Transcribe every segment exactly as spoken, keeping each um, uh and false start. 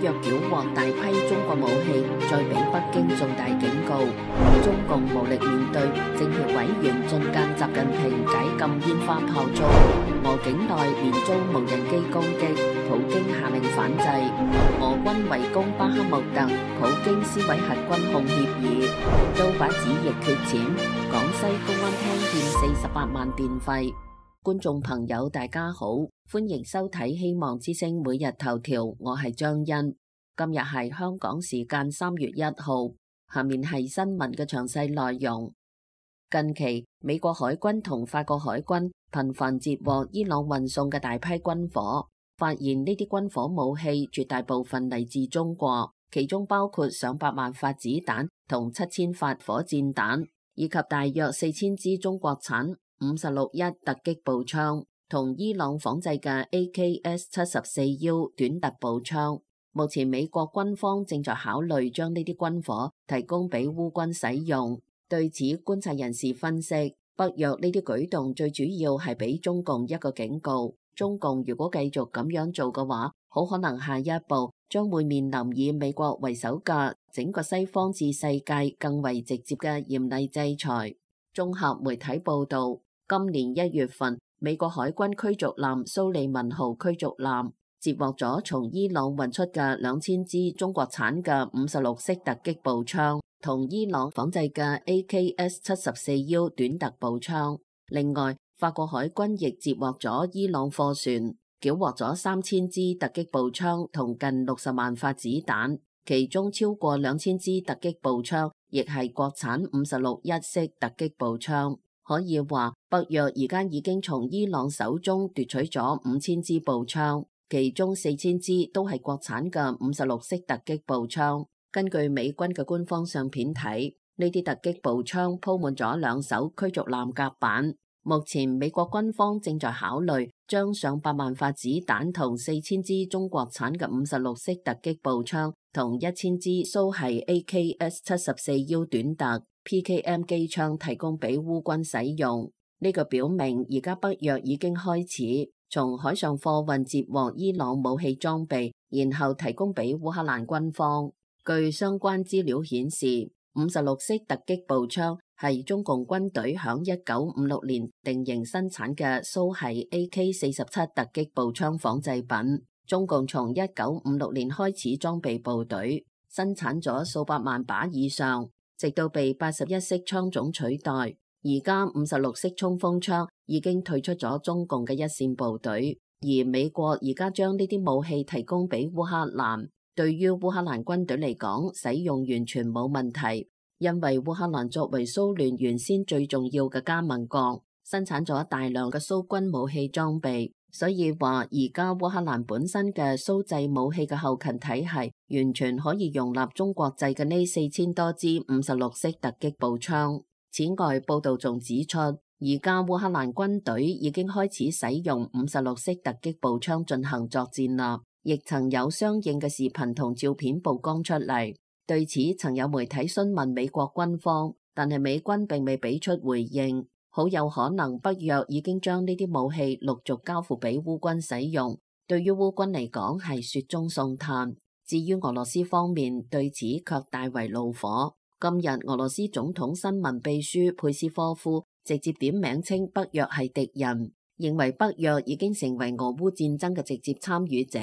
約繳獲大批中國武器，再俾北京重大警告。中共無力面對政協委員進諫習近平解禁煙花炮竹，俄境內連遭無人機攻擊，普京下令反制。俄軍圍攻巴克穆特，普京撕毀核軍控協議。刀把子亦缺錢，廣西公安廳欠四十八萬電費。觀眾朋友大家好，歡迎收睇希望之聲每日頭條，我係張欣。今日係香港時間三月一號，下面係新聞嘅詳細內容。近期美國海軍同法國海軍頻繁截獲伊朗運送嘅大批軍火，發現呢啲軍火武器絕大部分嚟自中國，其中包括上百萬發子彈同七千發火箭彈，以及大約四千支中國產五十六一突擊步槍同伊朗仿製嘅 A K S 七十四 U 短突步槍。目前美國軍方正在考慮將呢啲軍火提供俾烏軍使用。對此，觀察人士分析，北約呢啲舉動最主要係俾中共一個警告。中共如果繼續咁樣做嘅話，好可能下一步將會面臨以美國為首嘅整個西方至世界更為直接嘅嚴厲制裁。綜合媒體報道，今年一月份，美國海軍驅逐艦蘇利文號驅逐艦截獲咗從伊朗運出嘅兩千支中國產嘅五十六式突擊步槍，同伊朗仿製嘅 A K S 七十四 U 短突步槍。另外，法國海軍亦截獲咗伊朗貨船，繳獲咗三千支突擊步槍同近六十萬發子彈，其中超過兩千支突擊步槍亦係國產五十六一式突擊步槍。可以話，北約而家已經從伊朗手中奪取咗五千支步槍，其中四千支都係國產嘅五十六式突擊步槍。根據美軍嘅官方相片睇，呢啲突擊步槍鋪滿咗兩艘驅逐艦甲板。目前美國軍方正在考慮將上百萬發子彈同四千支中國產嘅五十六式突擊步槍同一千支蘇系 A K S 七十四 U 短突 P K M 機槍提供俾烏軍使用。呢個表明而家北約已經開始從海上貨運接獲伊朗武器裝備，然後提供俾烏克蘭軍方。據相關資料顯示，五十六式突擊步槍係中共軍隊響一九五六年定型生產嘅蘇系 A K 四十七突擊步槍仿製品。中共從一九五六年開始裝備部隊，生產咗數百萬把以上，直到被八十一式槍種取代。而家五十六式衝鋒槍已經退出咗中共嘅一線部隊，而美國而家將呢啲武器提供俾烏克蘭。對於烏克蘭軍隊嚟講，使用完全冇問題，因為烏克蘭作為蘇聯原先最重要嘅加盟國，生產咗大量嘅蘇軍武器裝備，所以話而家烏克蘭本身嘅蘇製武器嘅後勤體系完全可以容納中國製嘅呢四千多支五十六式突擊步槍。此外，報道仲指出，而家烏克蘭軍隊已經開始使用五十六式突擊步槍進行作戰啦，亦曾有相應嘅視頻同照片曝光出嚟。對此，曾有媒體詢問美國軍方，但係美軍並未俾出回應。好有可能北約已經將呢啲武器陸續交付俾烏軍使用，對於烏軍嚟講係雪中送炭。至於俄羅斯方面，對此卻大為怒火。今日俄羅斯總統新聞秘書佩斯科夫直接點名稱北約係敵人，認為北約已經成為俄烏戰爭嘅直接參與者。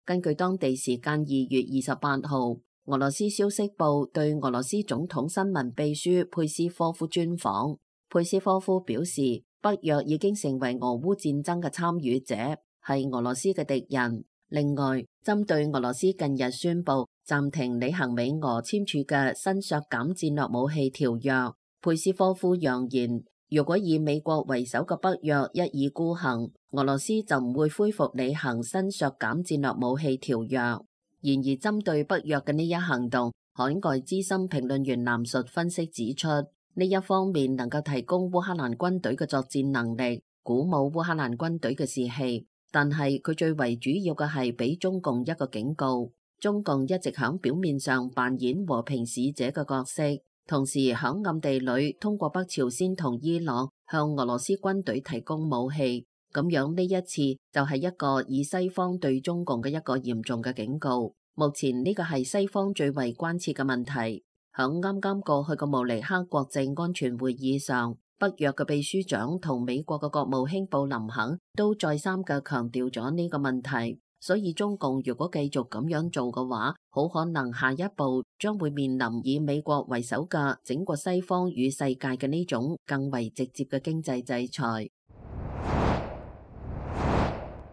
根據當地時間二月二十八號，俄羅斯消息報對俄羅斯總統新聞秘書佩斯科夫專訪，佩斯科夫表示，北約已經成為俄烏戰爭嘅參與者，係俄羅斯嘅敵人。另外，針對俄羅斯近日宣布暫停履行美俄簽署嘅新削減戰略武器條約，佩斯科夫揚言，如果以美國為首嘅北約一意孤行，俄羅斯就唔會恢復履行新削減戰略武器條約。然而，針對北約嘅呢一行動，海外資深評論員藍述分析指出，呢一方面能夠提供烏克蘭軍隊嘅作戰能力，鼓舞烏克蘭軍隊嘅士氣。但係佢最為主要嘅係俾中共一個警告，中共一直響表面上扮演和平使者嘅角色，同時響暗地裏通過北朝鮮同伊朗向俄羅斯軍隊提供武器。咁樣呢一次就係一個以西方對中共嘅一個嚴重嘅警告。目前呢個係西方最為關切嘅問題。響啱啱過去嘅慕尼黑國際安全會議上，北約嘅秘書長同美國嘅國務卿布林肯都再三嘅強調咗呢個問題。所以中共如果繼續咁樣做嘅話，好可能下一步將會面臨以美國為首嘅整個西方與世界嘅呢種更為直接嘅經濟制裁。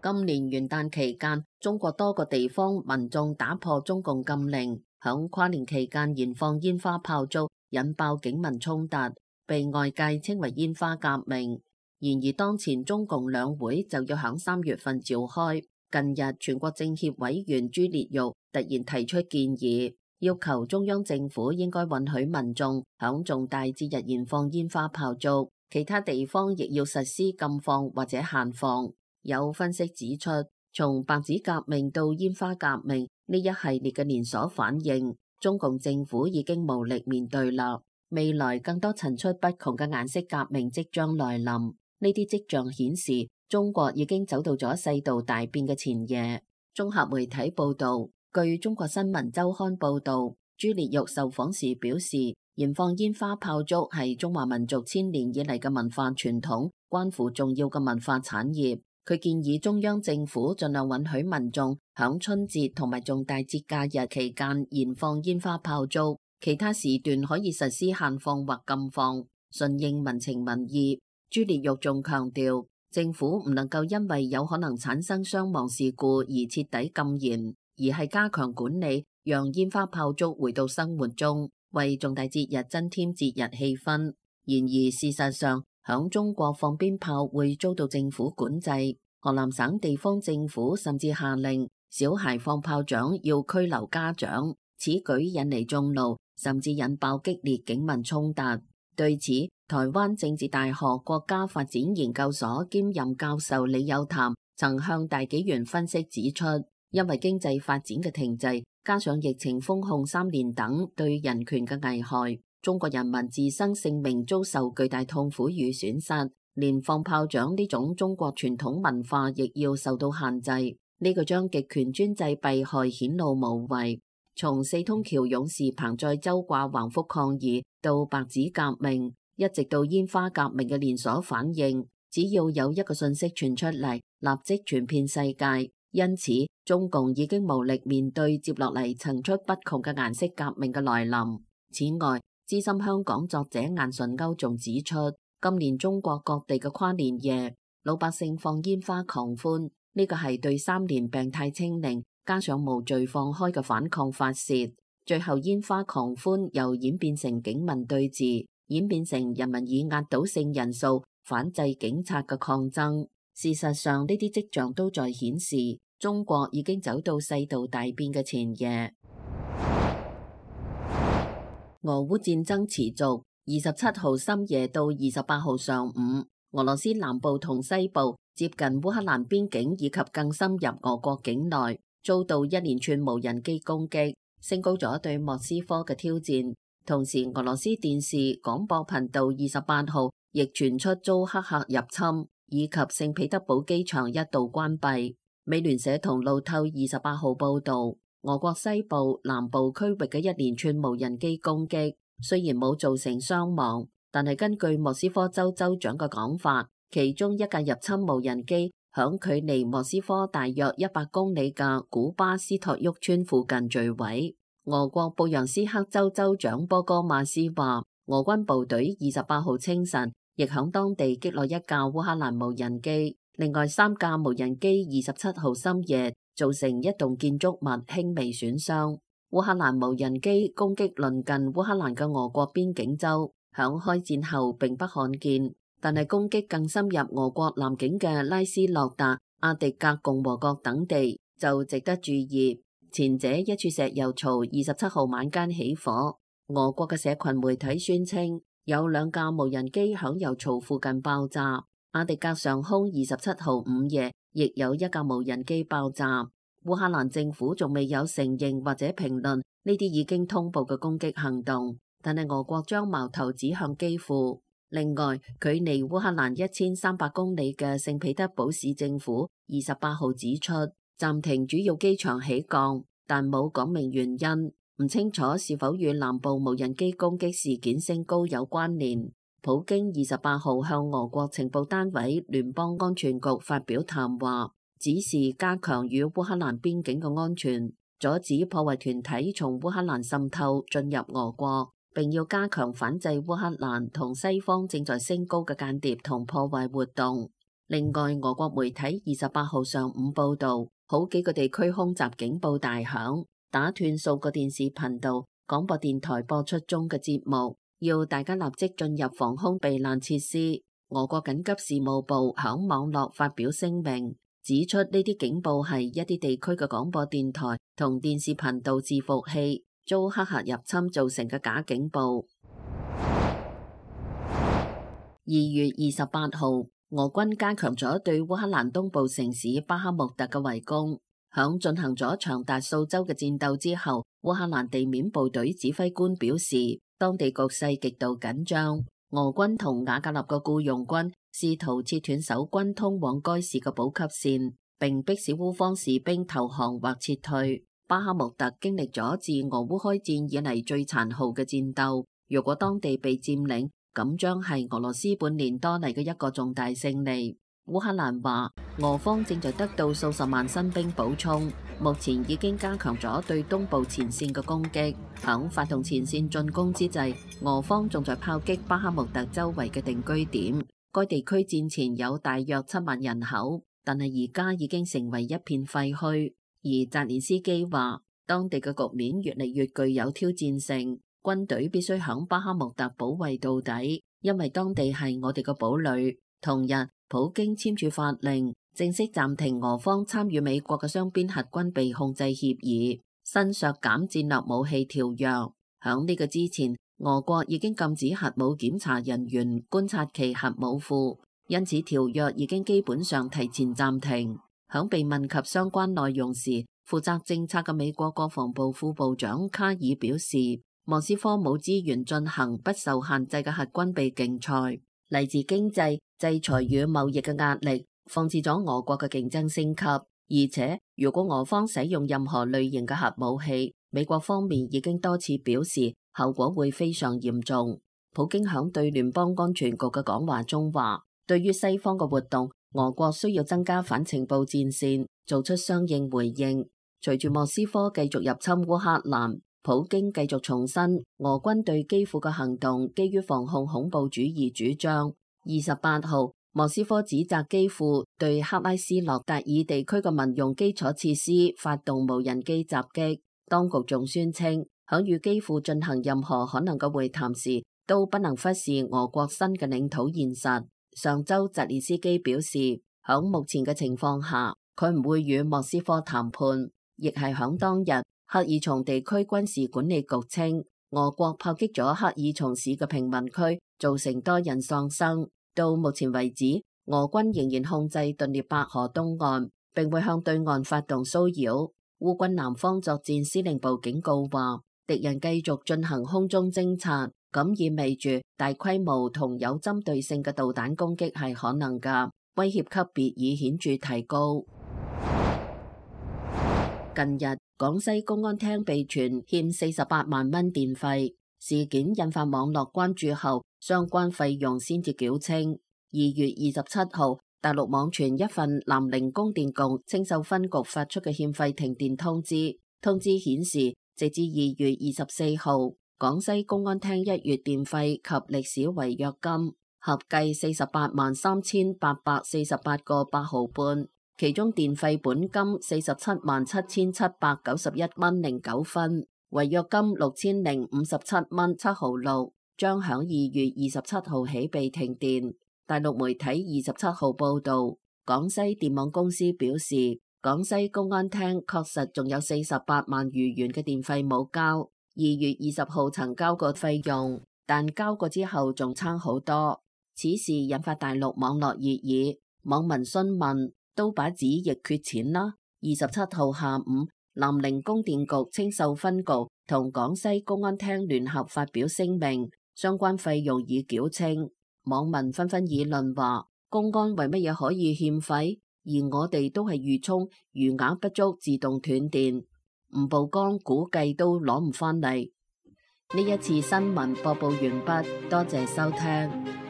今年元旦期間，中國多個地方民眾打破中共禁令，響跨年期間燃放煙花炮竹，引爆警民衝突，被外界稱為煙花革命。然而當前中共兩會就要響三月份召開。近日，全國政協委員朱烈鈺突然提出建議，要求中央政府應該允許民眾響重大節日燃放煙花炮竹，其他地方亦要實施禁放或者限放。有分析指出，從白紙革命到煙花革命呢一系列嘅連鎖反應，中共政府已經無力面對啦。未來更多層出不窮嘅顏色革命即將來臨，呢啲跡象顯示，中國已經走到咗世道大變嘅前夜。綜合媒體報道，據中國新聞週刊報道，朱烈鈺受訪時表示，燃放煙花炮竹係中華民族千年以嚟嘅文化傳統，關乎重要嘅文化產業。佢建議中央政府盡量允許民眾響春節同埋重大節假日期間燃放煙花炮竹，其他時段可以實施限放或禁放，順應民情民意。朱烈鈺仲強調，政府唔能夠因為有可能產生傷亡事故而徹底禁燃，而係加強管理，讓煙花炮竹回到生活中，為重大節日增添節日氣氛。然而事實上，響中國放鞭炮會遭到政府管制，河南省地方政府甚至下令小孩放炮仗要拘留家長，此舉引嚟眾怒，甚至引爆激烈警民衝突。對此，台灣政治大學國家發展研究所兼任教授李有潭曾向大紀元分析指出，因為經濟發展嘅停滯，加上疫情封控三年等對人權嘅危害，中國人民自身性命遭受巨大痛苦與損失，連放炮仗呢種中國傳統文化亦要受到限制。呢個將極權專制弊害顯露無遺。從四通橋勇士彭載舟掛橫幅抗議到白紙革命，一直到煙花革命嘅連鎖反應，只要有一個信息傳出嚟，立即傳遍世界。因此，中共已經無力面對接落嚟層出不窮嘅顏色革命嘅來臨。此外，資深香港作者顏純鈎仲指出，今年中國各地嘅跨年夜，老百姓放煙花狂歡，呢個係對三年病態清零加上無序放開嘅反抗發洩。最後煙花狂歡又演變成警民對峙，演變成人民以壓倒性人數反制警察嘅抗爭。事實上，呢啲跡象都在顯示，中國已經走到世道大變嘅前夜。俄烏戰爭持續，二十七號深夜到二十八號上午，俄羅斯南部同西部接近烏克蘭邊境以及更深入俄國境內，遭到一連串無人機攻擊，升高咗對莫斯科嘅挑戰。同時，俄羅斯電視廣播頻道二十八號亦傳出遭黑客入侵，以及聖彼得堡機場一度關閉。美聯社同路透二十八號報道，俄國西部、南部區域嘅一連串無人機攻擊，雖然冇造成傷亡，但係根據莫斯科州州長嘅講法，其中一架入侵無人機響距離莫斯科大約一百公里嘅古巴斯托沃村附近墜毀。俄國布揚斯克州州長波哥馬斯話，俄軍部隊二十八號清晨亦響當地擊落一架烏克蘭無人機，另外三架無人機二十七號深夜造成一棟建築物輕微損傷。烏克蘭無人機攻擊鄰近烏克蘭嘅俄國邊境州，響開戰後並不罕見，但係攻擊更深入俄國南境嘅拉斯諾達、阿迪格共和國等地就值得注意。前者一處石油槽二十七號晚間起火，俄國嘅社群媒體宣稱有兩架無人機響油槽附近爆炸。阿迪格上空二十七號午夜亦有一架無人機爆炸。烏克蘭政府仲未有承認或者評論呢啲已經通報嘅攻擊行動，但係俄國將矛頭指向基輔。另外，距離烏克蘭一千三百公里嘅聖彼得堡市政府二十八號指出，暫停主要機場起降，但冇講明原因，唔清楚是否與南部無人機攻擊事件升高有關聯。普京二十八號向俄國情報單位聯邦安全局發表談話，指示加強與烏克蘭邊境嘅安全，阻止破壞團體從烏克蘭滲透進入俄國，並要加強反制烏克蘭同西方正在升高嘅間諜同破壞活動。另外，俄國媒體二十八號上午報道，好幾個地區空襲警報大響，打斷數個電視頻道、廣播電台播出中嘅節目，要大家立即進入防空避難設施。俄國緊急事務部響網絡發表聲明，指出呢啲警報係一啲地區嘅廣播電台同電視頻道伺服器遭黑客入侵造成嘅假警報。二月二十八號，俄軍加強咗對烏克蘭東部城市巴克穆特嘅圍攻，響進行咗長達數週嘅戰鬥之後，烏克蘭地面部隊指揮官表示，當地局勢極度緊張，俄軍同瓦格納嘅僱傭軍試圖切斷守軍通往該市嘅補給線，並迫使烏方士兵投降或撤退。巴克穆特經歷咗自俄烏開戰以嚟最殘酷嘅戰鬥，如果當地被佔領，咁將係俄羅斯半年多嚟嘅一個重大勝利。烏克蘭話，俄方正在得到數十萬新兵補充，目前已經加強咗對東部前線嘅攻擊。響發動前線進攻之際，俄方仲在炮擊巴克穆特周圍嘅定居點。該地區戰前有大約七萬人口，但係而家已經成為一片廢墟。而澤連斯基話，當地嘅局面越嚟越具有挑戰性。軍隊必須響巴克穆特保衛到底，因為當地係我哋嘅堡壘。同日，普京簽署法令，正式暫停俄方參與美國嘅雙邊核軍備控制協議，新削減戰略武器條約。響呢個之前，俄國已經禁止核武檢查人員觀察其核武庫，因此條約已經基本上提前暫停。響被問及相關內容時，負責政策嘅美國國防部副部長卡爾表示，莫斯科冇資源進行不受限制嘅核軍備競賽，嚟自經濟、制裁與貿易嘅壓力，放置咗俄國嘅競爭升級。而且，如果俄方使用任何類型嘅核武器，美國方面已經多次表示，後果會非常嚴重。普京響對聯邦安全局嘅講話中話，對於西方嘅活動，俄國需要增加反情報戰線，做出相應回應。隨住莫斯科繼續入侵烏克蘭，普京繼續重申俄軍對基輔嘅行動基於防控恐怖主義主張。二十八號，莫斯科指責基輔對克拉斯諾達爾地區嘅民用基礎設施發動無人機襲擊。當局仲宣稱，響與基輔進行任何可能嘅會談時，都不能忽視俄國新嘅領土現實。上周澤連斯基表示，響目前嘅情況下，佢唔會與莫斯科談判。亦係響當日，赫爾松地區軍事管理局稱，俄國炮擊咗赫爾松市嘅平民區，造成多人喪生。到目前為止，俄軍仍然控制頓涅伯河東岸，並會向對岸發動騷擾。烏軍南方作戰司令部警告話，敵人繼續進行空中偵察，咁意味住大規模同有針對性嘅導彈攻擊係可能㗎，威脅級別已顯著提高。近日，廣西公安廳被傳欠四十八萬蚊電費，事件引發網絡關注後，相關費用先至繳清。二月二十七號，大陸網傳一份南寧供電局青秀分局發出嘅欠費停電通知，通知顯示，直至二月二十四號，廣西公安廳一月電費及歷史違約金合計四十八萬三千八百四十八個八毫半。其中電費本金四十七萬七千七百九十一蚊零九分，違約金六千零五十七蚊七毫六，將響二月二十七號起被停電。大陸媒體二十七號報道，廣西電網公司表示，廣西公安廳確實仲有四十八萬餘元嘅電費冇交，二月二十號曾交過費用，但交過之後仲差好多。此事引發大陸網絡熱議，網民詢問，都把紙亦缺錢啦。二十七號下午，南寧供電局青秀分局同廣西公安廳聯合發表聲明，相關費用已繳清。網民紛紛議論話，公安為乜嘢可以欠費？而我哋都係預充餘額不足自動斷電。唔曝光估計都攞唔返嚟。呢一次新聞播報完畢，多謝收聽。